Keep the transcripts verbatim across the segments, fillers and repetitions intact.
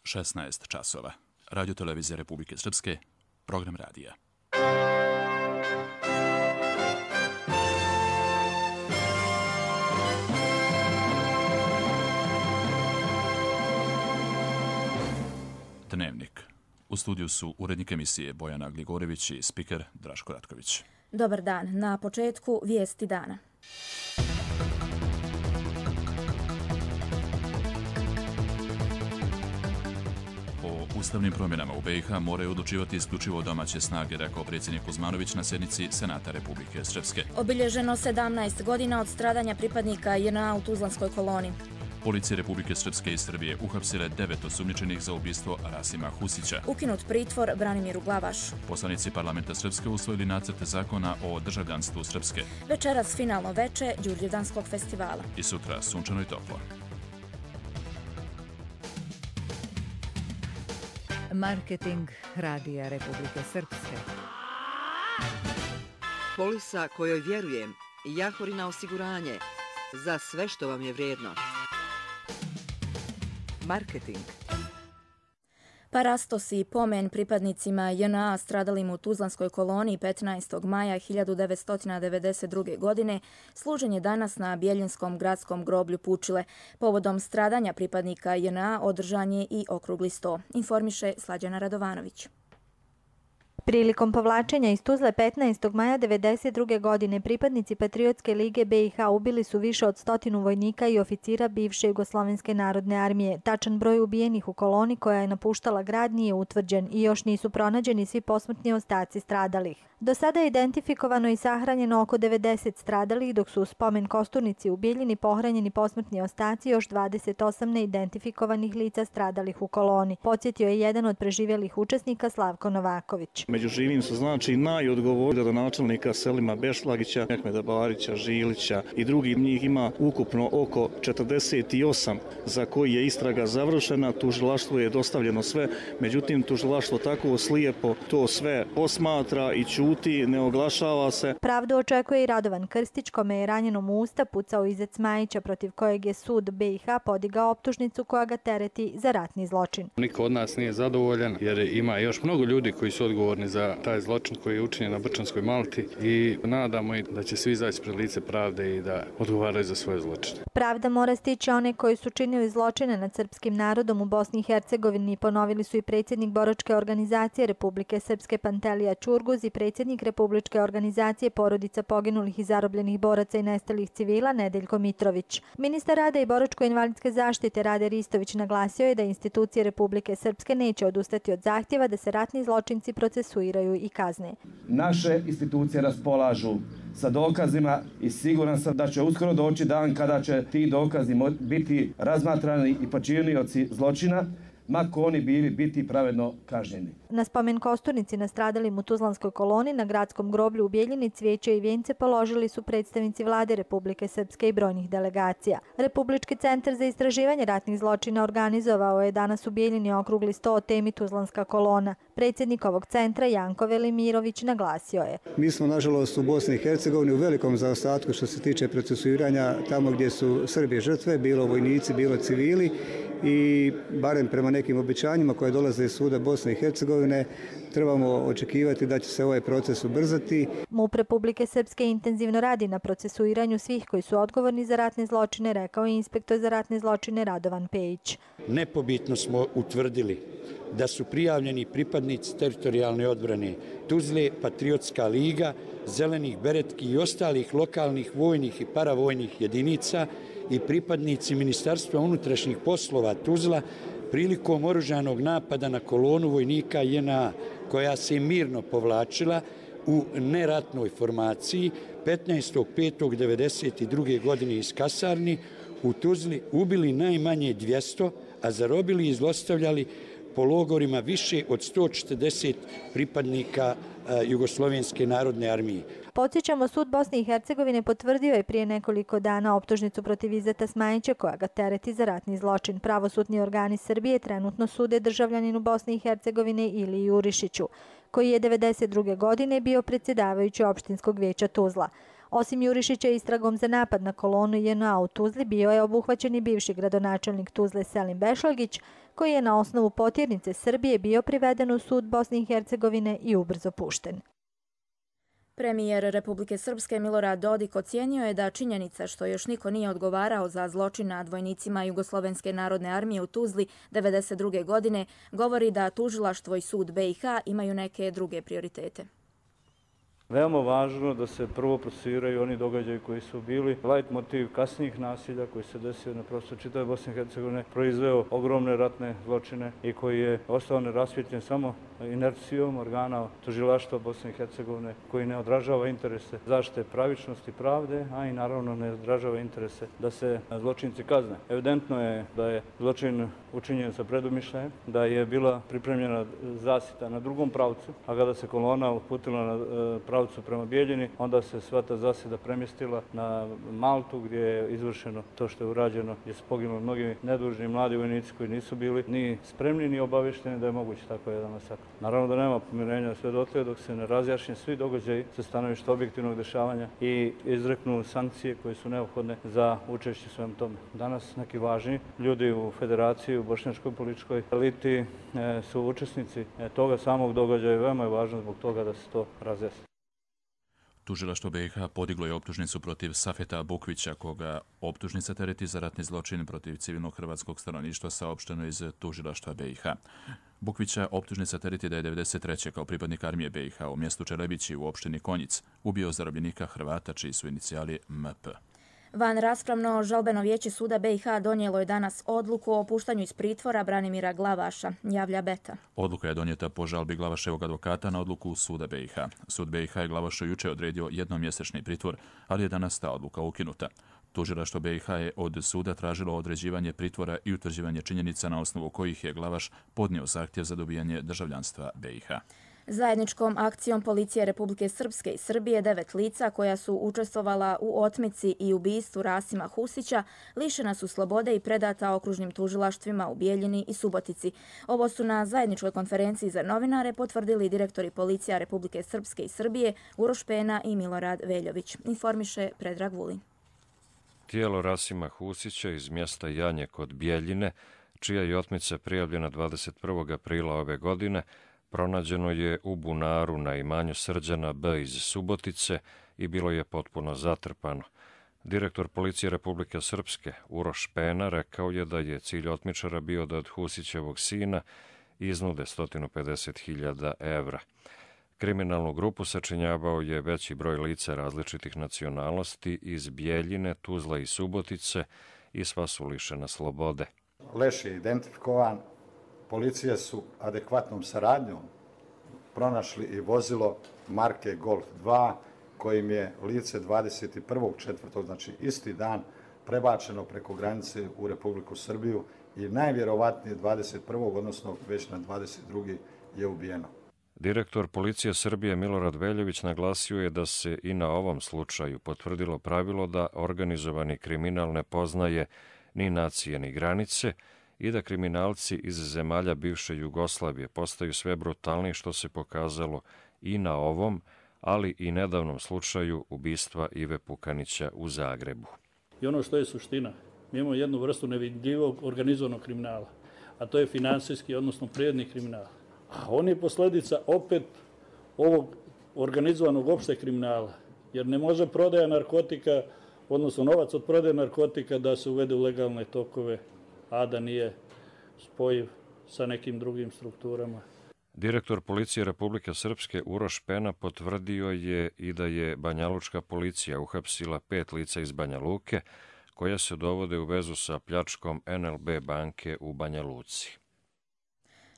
šesnaest časova. Radio televizija Republike Srpske, program radija. Dnevnik. U studiju su urednik emisije Bojana Gligorević i spiker Draško Ratković. Dobar dan. Na početku vijesti dana. O ustavnim promjenama u be i ha moraju odlučivati isključivo domaće snage, rekao predsjednik Kuzmanović na sjednici Senata Republike Srpske. Obilježeno sedamnaest godina od stradanja pripadnika je en a u Tuzlanskoj koloni. Policija Republike Srpske i Srbije uhapsile devet osumnjičenih za ubistvo Rasima Husića. Ukinut pritvor Branimiru Glavaš. Poslanici parlamenta Srpske usvojili nacrte zakona o državljanstvu Srpske. Večeras finalno veče Đurđevdanskog festivala. I sutra sunčano i toplo. Marketing Radija Republike Srpske. Polisa kojoj vjerujem, Jahorina osiguranje, za sve što vam je vrijedno. Marketing. Parastos i pomen pripadnicima je en a stradalim u Tuzlanskoj koloni petnaestog maja hiljadu devetsto devedeset druge. godine služen je danas na Bjeljinskom gradskom groblju Pučile. Povodom stradanja pripadnika je en a održan je i okrugli sto, informiše Slađana Radovanović. Prilikom povlačenja iz Tuzle petnaestog maja devedeset druge. godine pripadnici Patriotske lige be i ha ubili su više od stotinu vojnika i oficira bivše Jugoslovenske narodne armije. Tačan broj ubijenih u koloni koja je napuštala grad nije utvrđen i još nisu pronađeni svi posmrtni ostaci stradalih. Do sada je identifikovano i sahranjeno oko devedeset stradalih, dok su u spomen kosturnici u Bijeljini pohranjeni posmrtni ostaci još dvadeset osam neidentifikovanih lica stradalih u koloni. Podsjetio je jedan od preživjelih učesnika Slavko Novaković. Među živim su znači najodgovorniji gradonačelnika Selima Bešlagića, Mehmeda Barića, Žilića i drugih. Njih ima ukupno oko četrdeset osam za koji je istraga završena. Tužilaštvu je dostavljeno sve, međutim tužilaštvo tako slijepo to sve posmatra i ćuti, ne oglašava se. Pravdu očekuje i Radovan Krstić, kome je ranjenom u usta pucao Izec Majića, protiv kojeg je sud be i ha podigao optužnicu koja ga tereti za ratni zločin. Niko od nas nije zadovoljan jer ima još mnogo ljudi koji su odgovorni za taj zločin koji je učinjen na Brčanskoj Malti i nadamo i da će svi izaći pred lice pravde i da odgovaraju za svoje zločine. Pravda mora stići one koji su činili zločine nad srpskim narodom u Bosni i Hercegovini, ponovili su i predsjednik Boračke organizacije Republike Srpske Pantelija Ćurguz i predsjednik Republičke organizacije porodica poginulih i zarobljenih boraca i nestalih civila Nedeljko Mitrović. Ministar rada i boračko-invalidske zaštite Rade Ristović naglasio je da institucije Republike Srpske neće odustati od zahtjeva da se ratni zločinci procesuiraju i kazne. Naše institucije raspolažu sa dokazima i siguran sam da će uskoro doći dan kada će ti dokazi biti razmatrani i počinioci zločina, mako oni bili, biti pravedno kažnjeni. Na spomen kosturnici nastradalim u Tuzlanskoj koloni na gradskom groblju u Bijeljini cvijeće i vijence položili su predstavnici vlade Republike Srpske i brojnih delegacija. Republički centar za istraživanje ratnih zločina organizovao je danas u Bijeljini okrugli sto o temi Tuzlanska kolona. Predsjednik ovog centra Janko Velimirović naglasio je: Mi smo nažalost u Bosni i Hercegovini u velikom zaostatku što se tiče procesuiranja tamo gdje su Srbi žrtve, bilo vojnici, bilo civili, i barem prema nekim obećanjima koje dolaze iz suda Bosne i Hercegovine trebamo očekivati da će se ovaj proces ubrzati. MUP Republike Srpske intenzivno radi na procesuiranju svih koji su odgovorni za ratne zločine, rekao je inspektor za ratne zločine Radovan Pejić. Nepobitno smo utvrdili da su prijavljeni pripadnici teritorijalne odbrane Tuzle, Patriotska liga, Zelenih beretki i ostalih lokalnih vojnih i paravojnih jedinica i pripadnici Ministarstva unutrašnjih poslova Tuzla prilikom oružanog napada na kolonu vojnika je en a koja se mirno povlačila u neratnoj formaciji petnaestog petog devedeset druge. godine iz kasarni u Tuzli ubili najmanje dvjesto, a zarobili i zlostavljali po logorima više od sto četrdeset pripadnika Jugoslovenske narodne armije. Podsjećamo, sud Bosne i Hercegovine potvrdio je prije nekoliko dana optužnicu protiv Izeta Smajića koja ga tereti za ratni zločin. Pravosudni organi Srbije trenutno sude državljaninu Bosne i Hercegovine Iliji Jurišiću, koji je devedeset druge. godine bio predsjedavajući opštinskog vijeća Tuzla. Osim Jurišića istragom za napad na kolonu J N A u Tuzli bio je obuhvaćen i bivši gradonačelnik Tuzle Selim Bešlagić, koji je na osnovu potjernice Srbije bio priveden u sud Bosne i Hercegovine i ubrzo pušten. Premijer Republike Srpske Milorad Dodik ocijenio je da činjenica što još niko nije odgovarao za zločin nad vojnicima Jugoslovenske narodne armije u Tuzli devedeset druge godine govori da tužilaštvo i sud B i H imaju neke druge prioritete. Veoma važno da se prvo procesuiraju oni događaji koji su bili light motiv kasnijih nasilja koji se desio na prostoru čitave Bosne i Hercegovine, proizveo ogromne ratne zločine i koji je ostao nerasvjetljen samo inercijom organa tužilaštva Bosne i Hercegovine, koji ne odražava interese zaštite pravičnosti, pravde, a i naravno ne odražava interese da se zločinci kazne. Evidentno je da je zločin učinjen sa predumišljajem, da je bila pripremljena zasjeta na drugom pravcu, a kada se kolona uputila na pravcu prema Bijeljini, onda se sva ta zasjeda premjestila na Maltu, gdje je izvršeno to što je urađeno, gdje su poginuli mnogi nedužni mladi vojnici koji nisu bili ni spremni ni obavješteni da je moguće tako jedan masakr. Naravno da nema pomirenja sve dotle dok se ne razjašnje svi događaji sa stanovišta objektivnog dešavanja i izreknu sankcije koje su neophodne za učešće svem tome. Danas neki važni ljudi u federaciji, u bošnjačkoj političkoj eliti su učesnici toga samog događaja i veoma je važno zbog toga da se to razjasni. Tužilaštvo B i H podiglo je optužnicu protiv Safeta Bukvića, koga optužnica tereti za ratni zločin protiv civilnog hrvatskog stanovništva, saopšteno iz tužilaštva B i H. Bukvića optužnica tereti da je devedeset treće kao pripadnik armije B i H u mjestu Čelebići u opštini Konjic ubio zarobljenika Hrvata čiji su inicijali M P. Van raspravno žalbeno vijeće suda B i H donijelo je danas odluku o puštanju iz pritvora Branimira Glavaša, javlja Beta. Odluka je donijeta po žalbi Glavaševog advokata na odluku suda B i H. Sud B i H je Glavašu juče odredio jednomjesečni pritvor, ali je danas ta odluka ukinuta. Tužilaštvo B i H je od suda tražilo određivanje pritvora i utvrđivanje činjenica na osnovu kojih je Glavaš podnio zahtjev za dobijanje državljanstva B i H. Zajedničkom akcijom Policije Republike Srpske i Srbije devet lica koja su učestvovala u otmici i ubistvu Rasima Husića lišena su slobode i predata okružnim tužilaštvima u Bijeljini i Subotici. Ovo su na zajedničkoj konferenciji za novinare potvrdili direktori Policija Republike Srpske i Srbije Uroš Pena i Milorad Veljović, informiše Predrag Vulin. Tijelo Rasima Husića iz mjesta Janje kod Bijeljine, čija je otmica prijavljena dvadeset prvog aprila ove godine, pronađeno je u bunaru na imanju Srđana B. iz Subotice i bilo je potpuno zatrpano. Direktor Policije Republike Srpske Uroš Pena rekao je da je cilj otmičara bio da od Husićevog sina iznude sto pedeset hiljada evra. Kriminalnu grupu sačinjavao je veći broj lica različitih nacionalnosti iz Bijeljine, Tuzla i Subotice i sva su lišena slobode. Leš je identifikovan. Policije su adekvatnom saradnjom pronašli i vozilo marke Golf dva, kojim je lice dvadeset prvog četvrtog, znači isti dan, prebačeno preko granice u Republiku Srbiju i najvjerovatnije dvadeset prvog, odnosno već na dvadeset drugi je ubijeno. Direktor Policije Srbije Milorad Veljović naglasio je da se i na ovom slučaju potvrdilo pravilo da organizovani kriminal ne poznaje ni nacije ni granice, i da kriminalci iz zemalja bivše Jugoslavije postaju sve brutalniji, što se pokazalo i na ovom, ali i nedavnom slučaju ubistva Ive Pukanića u Zagrebu. I ono što je suština, mi imamo jednu vrstu nevidljivog organizovanog kriminala, a to je finansijski, odnosno prirodni kriminal. A on je posljedica opet ovog organizovanog opšteg kriminala, jer ne može prodaja narkotika, odnosno novac od prodaje narkotika da se uvede u legalne tokove, a da nije spojiv sa nekim drugim strukturama. Direktor Policije Republike Srpske Uroš Pena potvrdio je i da je banjalučka policija uhapsila pet lica iz Banja Luke, koja se dovode u vezu sa pljačkom N L B banke u Banja Luci.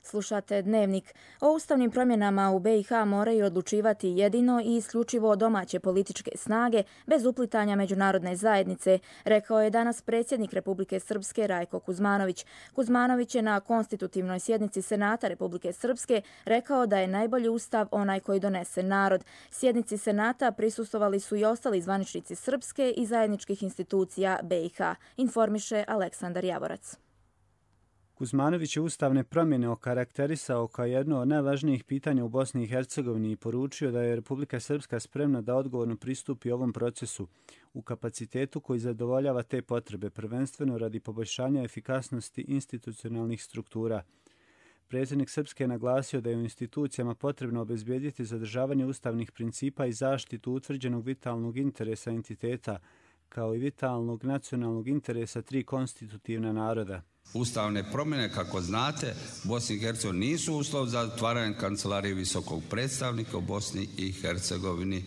Slušate Dnevnik. O ustavnim promjenama u B i H moraju odlučivati jedino i isključivo domaće političke snage bez uplitanja međunarodne zajednice, rekao je danas predsjednik Republike Srpske Rajko Kuzmanović. Kuzmanović je na konstitutivnoj sjednici Senata Republike Srpske rekao da je najbolji ustav onaj koji donese narod. Sjednici Senata prisustvovali su i ostali zvaničnici Srpske i zajedničkih institucija B i H, informiše Aleksandar Javorac. Kuzmanović je ustavne promjene okarakterisao kao jedno od najvažnijih pitanja u Bosni i Hercegovini i poručio da je Republika Srpska spremna da odgovorno pristupi ovom procesu u kapacitetu koji zadovoljava te potrebe, prvenstveno radi poboljšanja efikasnosti institucionalnih struktura. Predsjednik Srpske je naglasio da je u institucijama potrebno obezbijediti zadržavanje ustavnih principa i zaštitu utvrđenog vitalnog interesa entiteta, kao i vitalnog nacionalnog interesa tri konstitutivna naroda. Ustavne promjene, kako znate, Bosni i Hercegovini nisu uslov za otvaranje kancelarije visokog predstavnika u Bosni i Hercegovini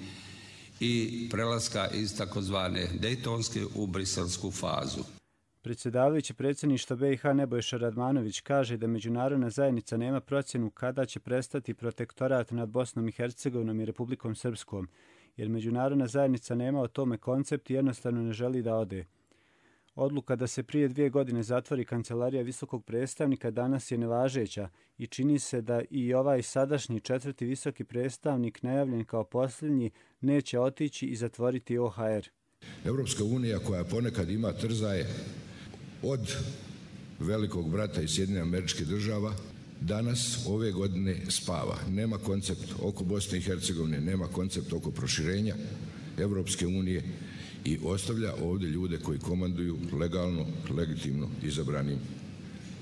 i prelaska iz takozvane Dejtonske u briselsku fazu. Predsjedavajući predsjedništva B i H Nebojša Radmanović kaže da međunarodna zajednica nema procjenu kada će prestati protektorat nad Bosnom i Hercegovinom i Republikom Srpskom, jer međunarodna zajednica nema o tome koncept i jednostavno ne želi da ode. Odluka da se prije dvije godine zatvori kancelarija visokog predstavnika danas je nevažeća i čini se da i ovaj sadašnji četvrti visoki predstavnik, najavljen kao posljednji, neće otići i zatvoriti O H R. Evropska unija, koja ponekad ima trzaje od velikog brata iz Sjedinjenih Američkih Država, danas ove godine spava. Nema koncept oko Bosne i Hercegovine, nema koncept oko proširenja Evropske unije i ostavlja ovdje ljude koji komanduju legalno, legitimno izabranim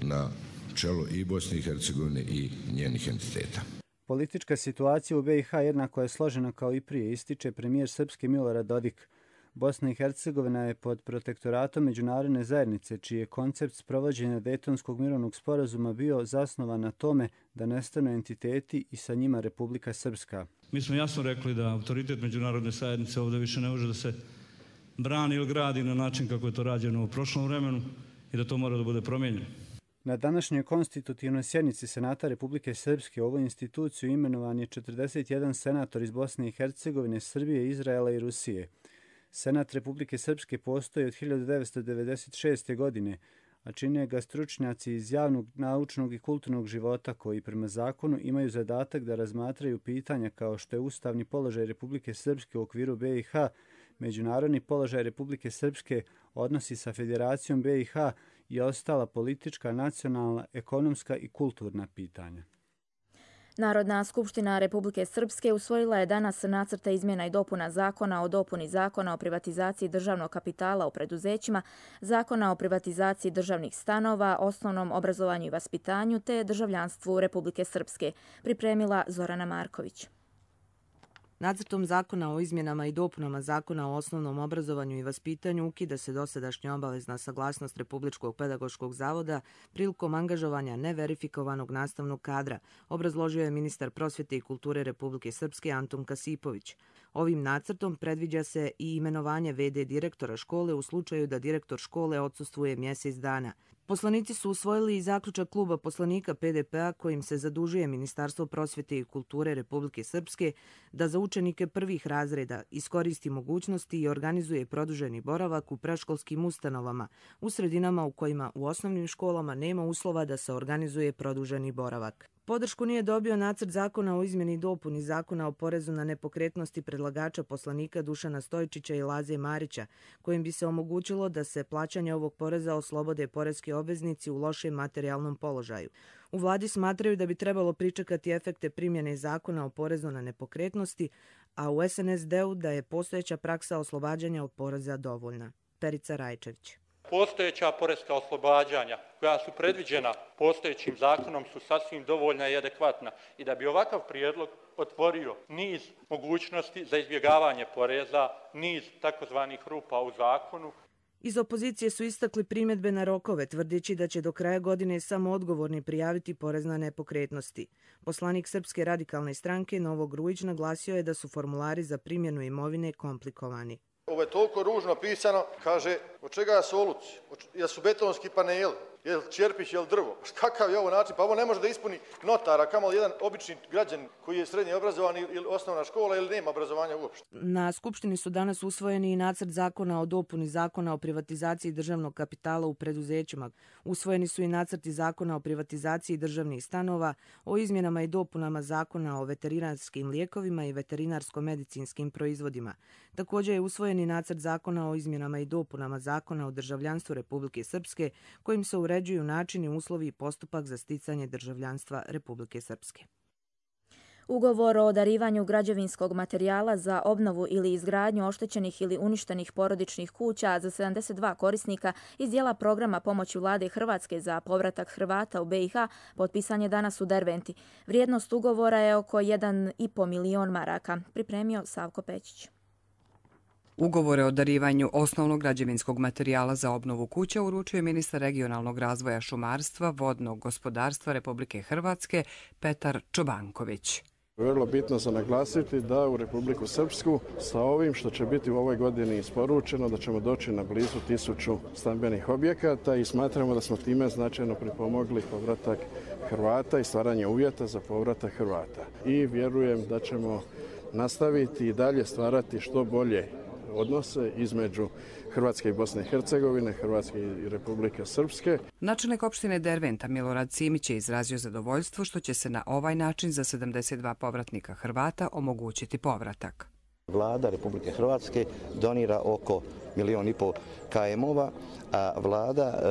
na čelo i Bosne i Hercegovine i njenih entiteta. Politička situacija u B i H jednako je složena kao i prije, ističe premijer Srpske Milorad Dodik. Bosna i Hercegovina je pod protektoratom međunarodne zajednice, čiji je koncept sprovođenja Dejtonskog mirovnog sporazuma bio zasnovan na tome da nestanu entiteti i sa njima Republika Srpska. Mi smo jasno rekli da autoritet međunarodne zajednice ovdje više ne može da se brani ili gradi na način kako je to rađeno u prošlom vremenu i da to mora da bude promijenjeno. Na današnjoj konstitutivnoj sjednici Senata Republike Srpske u ovu instituciju imenovan je četrdeset jedan senator iz Bosne i Hercegovine, Srbije, Izraela i Rusije. Senat Republike Srpske postoji od hiljadu devetsto devedeset šeste. godine, a čine ga stručnjaci iz javnog, naučnog i kulturnog života koji prema zakonu imaju zadatak da razmatraju pitanja kao što je ustavni položaj Republike Srpske u okviru B i H, međunarodni položaj Republike Srpske, odnosi sa Federacijom B i H i ostala politička, nacionalna, ekonomska i kulturna pitanja. Narodna skupština Republike Srpske usvojila je danas nacrte izmjena i dopuna zakona o dopuni zakona o privatizaciji državnog kapitala u preduzećima, zakona o privatizaciji državnih stanova, osnovnom obrazovanju i vaspitanju te državljanstvu Republike Srpske, pripremila Zorana Marković. Nacrtom zakona o izmjenama i dopunama zakona o osnovnom obrazovanju i vaspitanju ukida se dosadašnja obavezna saglasnost Republičkog pedagoškog zavoda prilikom angažovanja neverifikovanog nastavnog kadra, obrazložio je ministar prosvjete i kulture Republike Srpske Antun Kasipović. Ovim nacrtom predviđa se i imenovanje ve de direktora škole u slučaju da direktor škole odsustvuje mjesec dana. Poslanici su usvojili i zaključak kluba poslanika P D P-a kojim se zadužuje Ministarstvo prosvjete i kulture Republike Srpske da za učenike prvih razreda iskoristi mogućnosti i organizuje produženi boravak u predškolskim ustanovama u sredinama u kojima u osnovnim školama nema uslova da se organizuje produženi boravak. Podršku nije dobio nacrt zakona o izmjeni i dopuni zakona o porezu na nepokretnosti predlagača poslanika Dušana Stojčića i Laze Marića, kojim bi se omogućilo da se plaćanje ovog poreza oslobode poreski obveznici u lošem materijalnom položaju. U vladi smatraju da bi trebalo pričekati efekte primjene zakona o porezu na nepokretnosti, a u es en es de-u da je postojeća praksa oslobađanja od poreza dovoljna. Perica Rajčević. Postojeća poreska oslobađanja koja su predviđena postojećim zakonom su sasvim dovoljna i adekvatna i da bi ovakav prijedlog otvorio niz mogućnosti za izbjegavanje poreza, niz takozvanih rupa u zakonu. Iz opozicije su istakli primjedbe na rokove, tvrdeći da će do kraja godine samo odgovorni prijaviti porez na nepokretnosti. Poslanik Srpske radikalne stranke Novo Grujić naglasio je da su formulari za primjenu imovine komplikovani. Ovo je toliko ružno pisano, kaže, od čega je soluci, jel su betonski paneli, jel čerpić, jel drvo. Kakav je ovo način? Pa ovo ne može da ispuni notara, kamo jedan obični građan koji je srednje obrazovan ili osnovna škola ili nema obrazovanja uopšte. Na Skupštini su danas usvojeni i nacrt zakona o dopuni zakona o privatizaciji državnog kapitala u preduzećima. Usvojeni su i nacrti zakona o privatizaciji državnih stanova, o izmjenama i dopunama zakona o veterinarskim lijekovima i veterinarsko-medicinskim proizvodima. Također je usvojen i nacrt zakona o izmjenama i dopunama zakona o državljanstvu Republike Srpske, kojim se uređuje uređuju načini, uslovi i postupak za sticanje državljanstva Republike Srpske. Ugovor o darivanju građevinskog materijala za obnovu ili izgradnju oštećenih ili uništenih porodičnih kuća za sedamdeset dva korisnika iz dijela programa pomoći vlade Hrvatske za povratak Hrvata u B i H potpisan je danas u Derventi. Vrijednost ugovora je oko jedan i po milion maraka, pripremio Savko Pećić. Ugovore o darivanju osnovnog građevinskog materijala za obnovu kuća uručuje ministar regionalnog razvoja šumarstva, vodnog gospodarstva Republike Hrvatske Petar Čobanković. Vrlo bitno za naglasiti da u Republiku Srpsku sa ovim što će biti u ovoj godini isporučeno da ćemo doći na blizu tisuću stambenih objekata i smatramo da smo time značajno pripomogli povratak Hrvata i stvaranje uvjeta za povratak Hrvata. I vjerujem da ćemo nastaviti i dalje stvarati što bolje odnose između Hrvatske i Bosne i Hercegovine, Hrvatske i Republike Srpske. Načelnik opštine Derventa Milorad Simić je izrazio zadovoljstvo što će se na ovaj način za sedamdeset dva povratnika Hrvata omogućiti povratak. Vlada Republike Hrvatske donira oko milion i pol kajemova, a vlada e,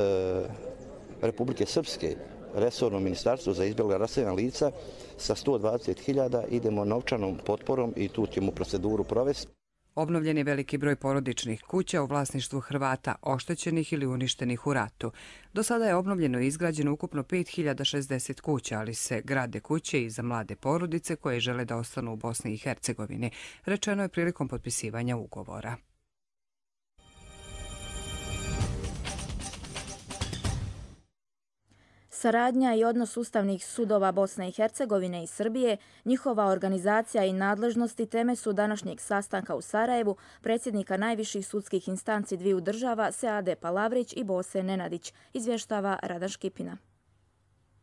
Republike Srpske, resorno ministarstvo za izbjegla raseljena lica sa sto dvadeset hiljada idemo novčanom potporom i tu ćemo proceduru provesti. Obnovljen je veliki broj porodičnih kuća u vlasništvu Hrvata oštećenih ili uništenih u ratu. Do sada je obnovljeno i izgrađeno ukupno pet hiljada šezdeset kuća, ali se grade kuće i za mlade porodice koje žele da ostanu u Bosni i Hercegovini, rečeno je prilikom potpisivanja ugovora. Saradnja i odnos ustavnih sudova Bosne i Hercegovine i Srbije, njihova organizacija i nadležnosti teme su današnjeg sastanka u Sarajevu predsjednika najviših sudskih instanci dviju država Seade Palavrić i Bose Nenadić, izvještava Radan Škipina.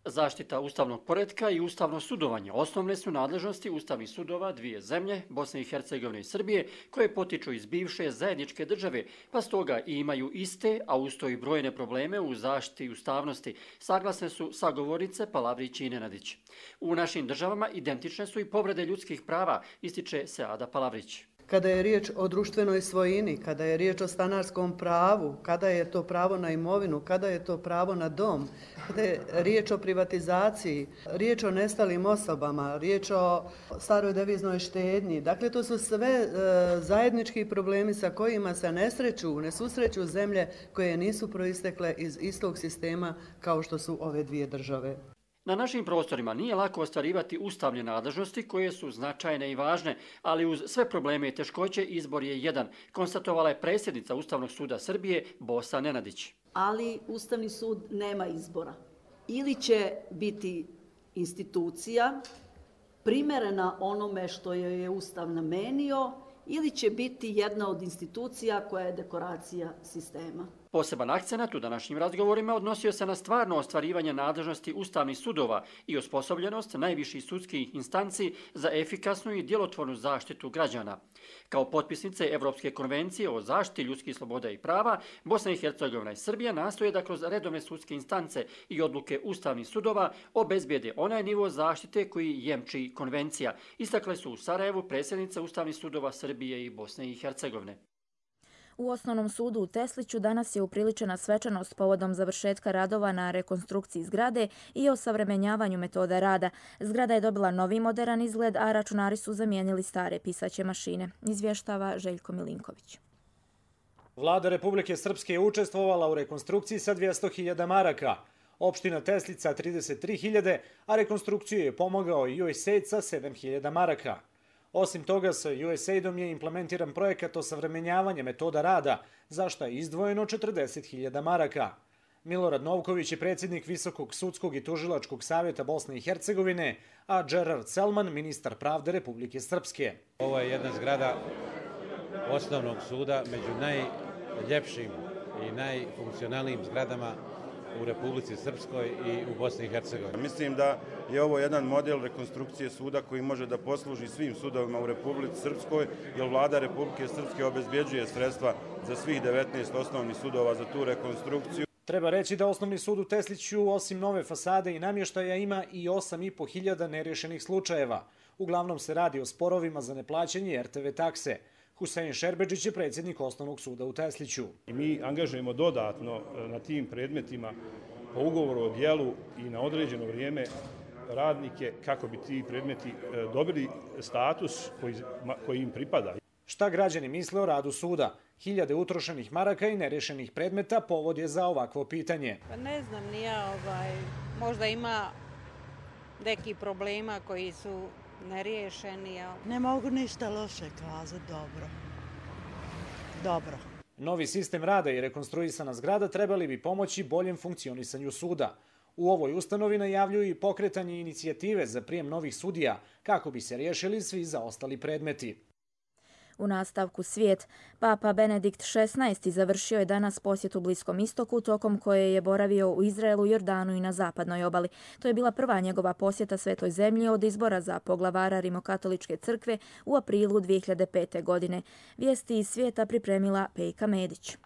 Zaštita ustavnog poretka i ustavno sudovanje osnovne su nadležnosti ustavnih sudova dvije zemlje, Bosne i Hercegovine i Srbije, koje potiču iz bivše zajedničke države, pa stoga i imaju iste, a usto i brojne probleme u zaštiti ustavnosti, saglasne su sagovornice Palavrić i Nenadić. U našim državama identične su i povrede ljudskih prava, ističe Seada Palavrić. Kada je riječ o društvenoj svojini, kada je riječ o stanarskom pravu, kada je to pravo na imovinu, kada je to pravo na dom, kada je riječ o privatizaciji, riječ o nestalim osobama, riječ o staroj deviznoj štednji. Dakle, to su sve e, zajednički problemi sa kojima se ne sreću, ne susreću zemlje koje nisu proistekle iz istog sistema kao što su ove dvije države. Na našim prostorima nije lako ostvarivati ustavne nadležnosti koje su značajne i važne, ali uz sve probleme i teškoće izbor je jedan, konstatovala je predsjednica Ustavnog suda Srbije Bosa Nenadić. Ali Ustavni sud nema izbora. Ili će biti institucija primerena onome što joj je Ustav namenio, ili će biti jedna od institucija koja je dekoracija sistema. Poseban akcenat u današnjim razgovorima odnosio se na stvarno ostvarivanje nadležnosti ustavnih sudova i osposobljenost najviših sudskih instanci za efikasnu i djelotvornu zaštitu građana. Kao potpisnice Evropske konvencije o zaštiti ljudskih sloboda i prava, Bosna i Hercegovina i Srbija nastoje da kroz redovne sudske instance i odluke ustavnih sudova obezbijede onaj nivo zaštite koji jemči konvencija, istakle su u Sarajevu predsjednice ustavnih sudova Srbije i Bosne i Hercegovine. U Osnovnom sudu u Tesliću danas je upriličena svečanost povodom završetka radova na rekonstrukciji zgrade i osavremenjavanju metoda rada. Zgrada je dobila novi moderan izgled, a računari su zamijenili stare pisaće mašine, izvještava Željko Milinković. Vlada Republike Srpske je učestvovala u rekonstrukciji sa dvjesto hiljada maraka, opština Teslica trideset tri hiljade, a rekonstrukciju je pomogao i U S A I D sa sedam hiljada maraka. Osim toga, sa U S A I D-om je implementiran projekat osavremenjavanja metoda rada, za što je izdvojeno četrdeset hiljada maraka. Milorad Novković je predsjednik Visokog sudskog i tužilačkog savjeta Bosne i Hercegovine, a Gerard Selman, ministar pravde Republike Srpske. Ovo je jedna zgrada osnovnog suda među najljepšim i najfunkcionalnijim zgradama u Republici Srpskoj i u Bosni i Hercegovini. Mislim da je ovo jedan model rekonstrukcije suda koji može da posluži svim sudovima u Republici Srpskoj, jer vlada Republike Srpske obezbjeđuje sredstva za svih devetnaest osnovnih sudova za tu rekonstrukciju. Treba reći da Osnovni sud u Tesliću, osim nove fasade i namještaja, ima i osam i po hiljada nerješenih slučajeva. Uglavnom se radi o sporovima za neplaćanje R T V takse. Husein Šerbedžić je predsjednik Osnovnog suda u Tesliću. Mi angažujemo dodatno na tim predmetima po ugovoru o djelu i na određeno vrijeme radnike kako bi ti predmeti dobili status koji, koji im pripada. Šta građani misle o radu suda? Hiljade utrošenih maraka i nerešenih predmeta povod je za ovakvo pitanje. Pa ne znam, nije ovaj, možda ima neki problema koji su neriješeni. Ali... Ne mogu ništa loše kazati, dobro. Dobro. Novi sistem rada i rekonstruisana zgrada trebali bi pomoći boljem funkcionisanju suda. U ovoj ustanovi najavljuju i pokretanje inicijative za prijem novih sudija kako bi se riješili svi zaostali predmeti. U nastavku svijet, Papa Benedikt šesnaesti završio je danas posjet u Bliskom istoku, tokom koje je boravio u Izraelu, Jordanu i na zapadnoj obali. To je bila prva njegova posjeta Svetoj zemlji od izbora za poglavara Rimokatoličke crkve u aprilu dvije hiljade pete. godine. Vijesti iz svijeta pripremila Pejka Medić.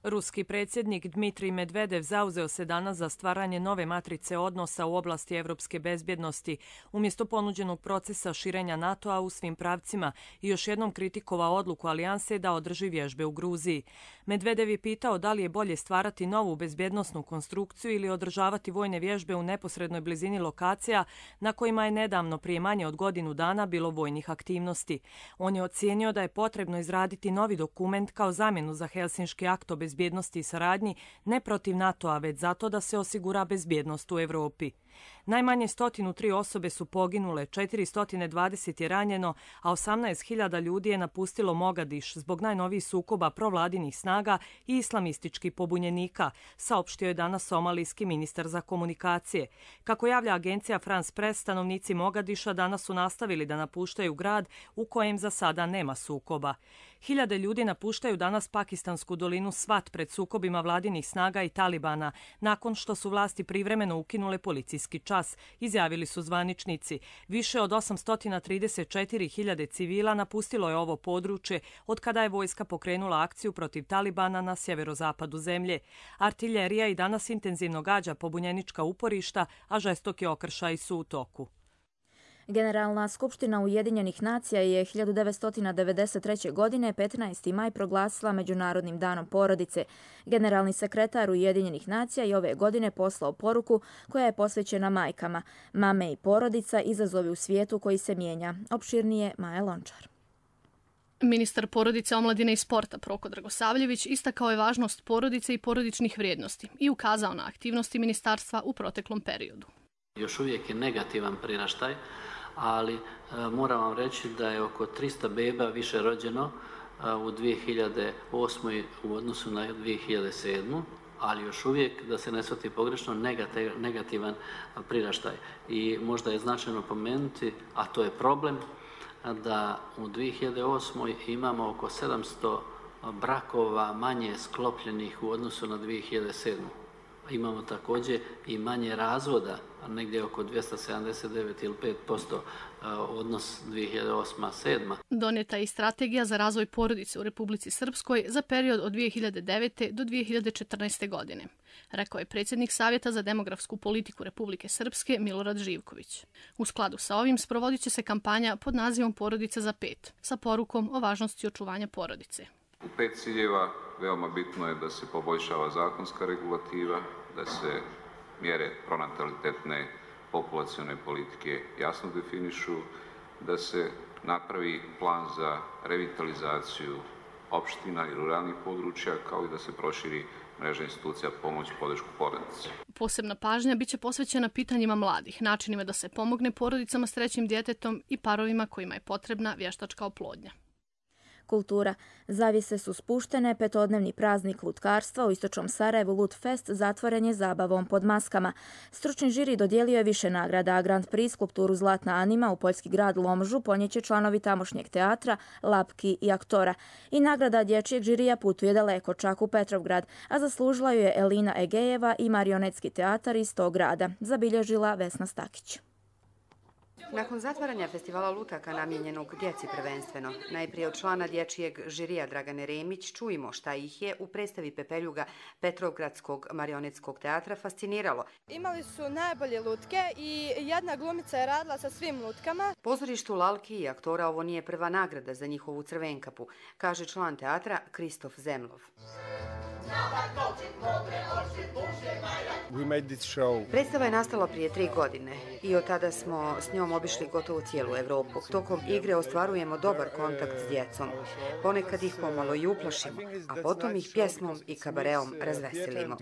Ruski predsjednik Dmitrij Medvedev zauzeo se danas za stvaranje nove matrice odnosa u oblasti evropske bezbjednosti, umjesto ponuđenog procesa širenja NATO-a u svim pravcima i još jednom kritikovao odluku alijanse da održi vježbe u Gruziji. Medvedev je pitao da li je bolje stvarati novu bezbjednosnu konstrukciju ili održavati vojne vježbe u neposrednoj blizini lokacija na kojima je nedavno prije manje od godinu dana bilo vojnih aktivnosti. On je ocijenio da je potrebno izraditi novi dokument kao zamjenu za Helsinški akt o bezbjednosti i saradnji, ne protiv NATO-a, već zato da se osigura bezbjednost u Europi. Najmanje sto tri osobe su poginule, četiristo dvadeset je ranjeno, a osamnaest hiljada ljudi je napustilo Mogadiš zbog najnovijih sukoba provladinih snaga i islamističkih pobunjenika, saopštio je danas somalijski ministar za komunikacije. Kako javlja agencija France Press, stanovnici Mogadiša danas su nastavili da napuštaju grad u kojem za sada nema sukoba. Hiljade ljudi napuštaju danas pakistansku dolinu Svat pred sukobima vladinih snaga i Talibana, nakon što su vlasti privremeno ukinule policijski čas, izjavili su zvaničnici. Više od osamsto trideset četiri hiljade civila napustilo je ovo područje od kada je vojska pokrenula akciju protiv Talibana na sjeverozapadu zemlje. Artiljerija i danas intenzivno gađa pobunjenička uporišta, a žestoki okršaji su u toku. Generalna skupština Ujedinjenih nacija je hiljadu devetsto devedeset treće. godine petnaesti maj proglasila Međunarodnim danom porodice. Generalni sekretar Ujedinjenih nacija je ove godine poslao poruku koja je posvećena majkama. Mame i porodica, izazovi u svijetu koji se mijenja. Opširnije Maja Lončar. Ministar porodice, omladine i sporta Proko Dragosavljević istakao je važnost porodice i porodičnih vrijednosti i ukazao na aktivnosti ministarstva u proteklom periodu. Još uvijek je negativan priraštaj, ali e, moram vam reći da je oko tristo beba više rođeno e, u dvije hiljade osmoj. u odnosu na dvije hiljade sedmu. ali još uvijek, da se ne shvati pogrešno, negativan priraštaj. I možda je značajno pomenuti, a to je problem, da u dvije hiljade osmoj. imamo oko sedamsto brakova manje sklopljenih u odnosu na dvije hiljade sedmu. Imamo također i manje razvoda, negdje oko dvjesto sedamdeset devet ili pet posto odnos dvije hiljade osma sedma. Donijeta je i strategija za razvoj porodice u Republici Srpskoj za period od dvije hiljade devete. do dvije hiljade četrnaeste. godine, rekao je predsjednik Savjeta za demografsku politiku Republike Srpske Milorad Živković. U skladu sa ovim sprovodit će se kampanja pod nazivom Porodica za pet, sa porukom o važnosti očuvanja porodice. U pet ciljeva veoma bitno je da se poboljšava zakonska regulativa, da se mjere pronatalitetne populacione politike jasno definišu, da se napravi plan za revitalizaciju opština i ruralnih područja, kao i da se proširi mreža institucija pomoć i podršku porodici. Posebna pažnja biće posvećena pitanjima mladih, načinima da se pomogne porodicama s trećim djetetom i parovima kojima je potrebna vještačka oplodnja. Kultura. Zavjese su spuštene, petodnevni praznik lutkarstva u istočnom Sarajevu Lutfest zatvoren je zabavom pod maskama. Stručni žiri dodijelio je više nagrada, a Grand Prix skulpturu Zlatna Anima u poljski grad Lomžu ponijeće članovi tamošnjeg teatra, Lapki i aktora. I nagrada dječjeg žirija putuje daleko, čak u Petrovgrad, a zaslužila ju je Elina Egejeva i marionetski teatar iz tog grada, zabilježila Vesna Stakić. Nakon zatvaranja festivala lutaka namijenjenog djeci prvenstveno, najprije od člana dječjeg žirija Dragane Remić čujemo šta ih je u predstavi Pepeljuga Petrovgradskog marionetskog teatra fasciniralo. Imali su najbolje lutke i jedna glumica je radila sa svim lutkama. Pozorištu Lalki i aktora ovo nije prva nagrada za njihovu crvenkapu, kaže član teatra Kristof Zemlov. Predstava je nastala prije tri godine i od tada smo s njom obišli gotovo cijelu Evropu. Tokom igre ostvarujemo dobar kontakt s djecom. Ponekad ih pomalo i uplašimo, a potom ih pjesmom i kabareom razveselimo.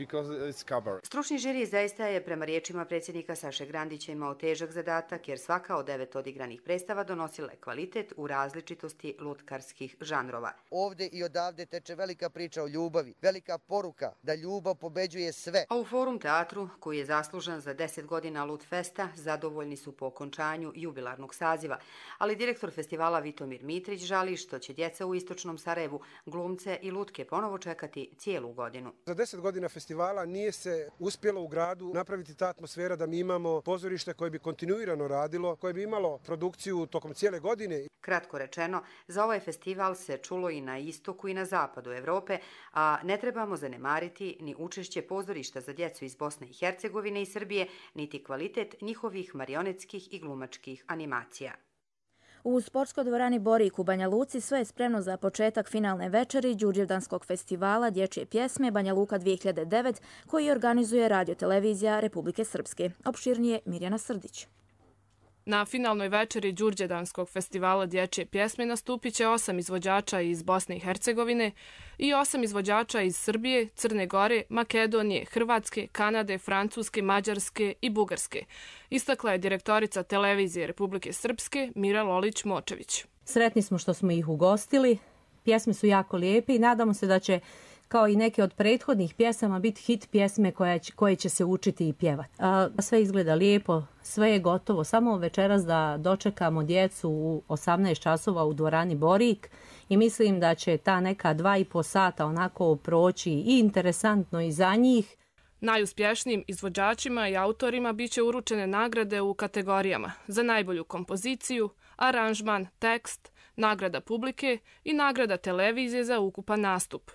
Stručni žiri zaista je, prema riječima predsjednika Saše Grandića, imao težak zadatak jer svaka od devet odigranih predstava donosila je kvalitet u različitosti lutkarskih žanrova. Ovdje i odavde teče velika priča o ljubavi, velika poruka da ljubav pobeđuje sve. A u Forum teatru, koji je zaslužan za deset godina Lutfesta, zadovoljni su po okončanju jubilarnog saziva, ali direktor festivala Vitomir Mitrić žali što će djeca u istočnom Sarajevu glumce i lutke ponovo čekati cijelu godinu. Za deset godina festivala nije se uspjelo u gradu napraviti ta atmosfera da mi imamo pozorište koje bi kontinuirano radilo, koje bi imalo produkciju tokom cijele godine. Kratko rečeno, za ovaj festival se čulo i na istoku i na zapadu Evrope, a ne trebamo zanemariti ni učešće pozorišta za djecu iz Bosne i Hercegovine i Srbije, niti kvalitet njihovih marionetskih i glumačkih animacija. U sportskoj dvorani Borik u Banja Luci sve je spremno za početak finalne večeri Đurđevdanskog festivala dječje pjesme Banja Luka dvije hiljade devet, koji organizuje Radio-televizija Republike Srpske. Opširnije Mirjana Srdić. Na finalnoj večeri Đurđevdanskog festivala dječje pjesme nastupit će osam izvođača iz Bosne i Hercegovine i osam izvođača iz Srbije, Crne Gore, Makedonije, Hrvatske, Kanade, Francuske, Mađarske i Bugarske, istakla je direktorica Televizije Republike Srpske Mira Lolić-Močević. Sretni smo što smo ih ugostili, pjesme su jako lijepe i nadamo se da će, kao i neke od prethodnih pjesama, biti hit pjesme koje će, koje će se učiti i pjevati. Sve izgleda lijepo, sve je gotovo. Samo večeras da dočekamo djecu u osamnaest časova u dvorani Borik i mislim da će ta neka dva i po sata onako proći i interesantno i za njih. Najuspješnijim izvođačima i autorima bit će uručene nagrade u kategorijama za najbolju kompoziciju, aranžman, tekst, nagrada publike i nagrada televizije za ukupan nastup.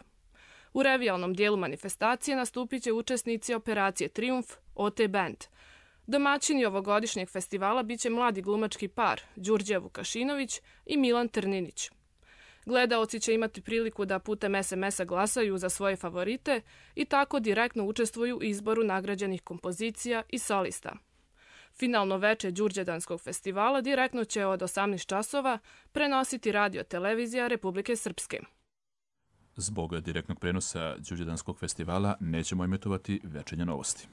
U revijalnom dijelu manifestacije nastupit će učesnici operacije Trijumf, O T Band. Domaćini ovogodišnjeg festivala bit će mladi glumački par Đurđe Vukašinović i Milan Trninić. Gledaoci će imati priliku da putem es em es-a glasaju za svoje favorite i tako direktno učestvuju u izboru nagrađenih kompozicija i solista. Finalno veče Đurđevdanskog festivala direktno će od osamnaest časova prenositi Radio-televizija Republike Srpske. Zbog direktnog prenosa Đurđevdanskog festivala nećemo emitovati večernje novosti.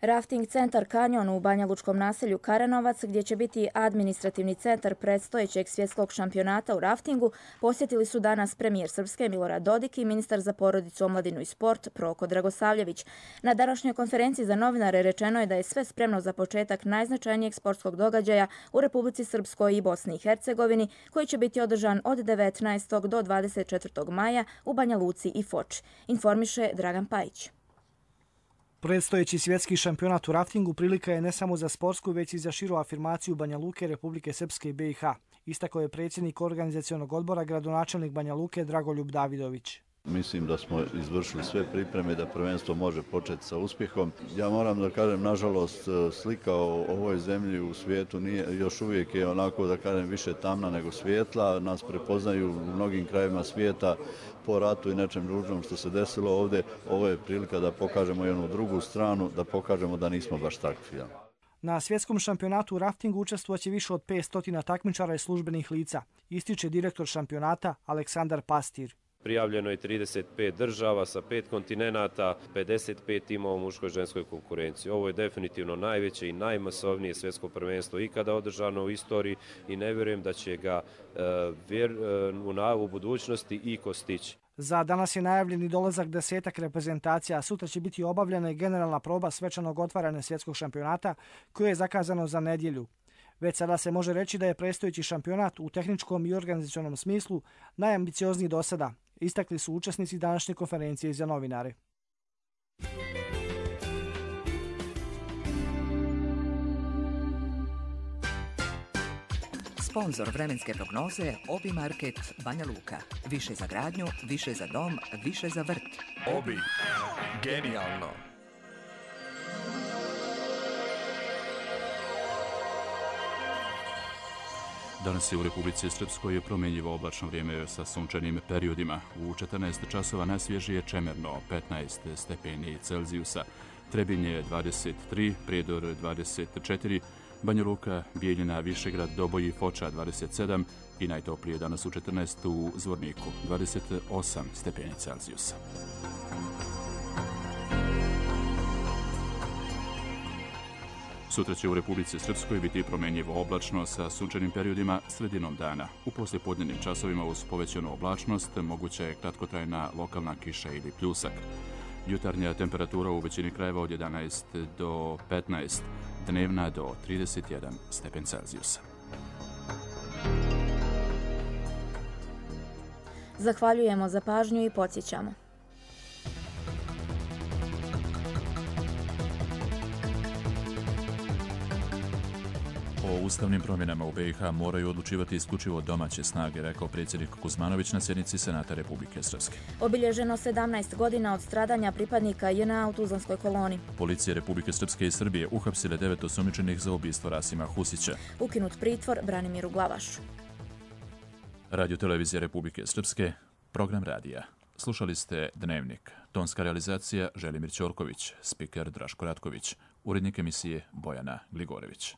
Rafting centar Kanjon u banjalučkom naselju Karanovac, gdje će biti administrativni centar predstojećeg svjetskog šampionata u raftingu, posjetili su danas premijer Srpske Milorad Dodik i ministar za porodicu, omladinu i sport Proko Dragosavljević. Na današnjoj konferenciji za novinare rečeno je da je sve spremno za početak najznačajnijeg sportskog događaja u Republici Srpskoj i Bosni i Hercegovini, koji će biti održan od devetnaestog do dvadeset četvrtog maja u Banja Luci i Foči, informiše Dragan Pajić. Predstojeći svjetski šampionat u raftingu prilika je ne samo za sportsku, već i za širu afirmaciju Banja Luke, Republike Srpske i be i ha. Istakao je predsjednik organizacionog odbora, gradonačelnik Banja Luke Dragoljub Davidović. Mislim da smo izvršili sve pripreme da prvenstvo može početi sa uspjehom. Ja moram da kažem, nažalost, slika o ovoj zemlji u svijetu nije, još uvijek je onako, da kažem, više tamna nego svijetla. Nas prepoznaju u mnogim krajevima svijeta po ratu i nečem ružnom što se desilo ovdje. Ovo je prilika da pokažemo jednu drugu stranu, da pokažemo da nismo baš takvi. Na svjetskom šampionatu u raftingu učestvovaće više od petsto takmičara i službenih lica, ističe direktor šampionata Aleksandar Pastir. Prijavljeno je trideset pet država sa pet kontinenata, pedeset pet timova u muškoj i ženskoj konkurenciji. Ovo je definitivno najveće i najmasovnije svjetsko prvenstvo ikada održano u istoriji i ne vjerujem da će ga e, vjer, e, u budućnosti i kostići. Za danas je najavljeni dolazak desetak reprezentacija, a sutra će biti obavljena i generalna proba svečanog otvaranja svjetskog šampionata koje je zakazano za nedjelju. Već sada se može reći da je predstojeći šampionat u tehničkom i organizacionom smislu najambiciozniji do sada, istakli su učesnici današnje konferencije za novinare. Sponzor vremenske prognoze Obi Market Banja Luka. Više za gradnju, više za dom, više za vrt. Obi. Genijalno. Danas je u Republici Srpskoj promjenjivo oblačno vrijeme sa sunčanim periodima. U četrnaest časova najsvježije Čemerno, petnaest stepeni Celzijusa, Trebinje dvadeset tri, Prijedor dvadeset četiri, Banja Luka, Bijeljina, Višegrad, Doboj i Foča dvadeset sedam i najtoplije danas u četrnaest u Zvorniku, dvadeset osam stepeni Celzijusa. Sutra će u Republici Srpskoj biti promjenjivo oblačno sa sunčanim periodima sredinom dana. U poslijepodnevnim časovima uz povećanu oblačnost moguća je kratkotrajna lokalna kiša ili pljusak. Jutarnja temperatura u većini krajeva od jedanaest do petnaest, dnevna do trideset jedan stepen Celzijusa. Zahvaljujemo za pažnju i podsjećamo. O ustavnim promjenama u B i H moraju odlučivati isključivo domaće snage, rekao predsjednik Kuzmanović na sjednici Senata Republike Srpske. Obilježeno sedamnaest godina od stradanja pripadnika J N A u Tuzlanskoj koloni. Policija Republike Srpske i Srbije uhapsile devet osumnjičenih za ubistvo Rasima Husića. Ukinut pritvor Branimiru Glavašu. Radio Televizija Republike Srpske, program radija. Slušali ste Dnevnik. Tonska realizacija Želimir Ćorković, spiker Draško Ratković, urednik emisije Bojana Gligorević.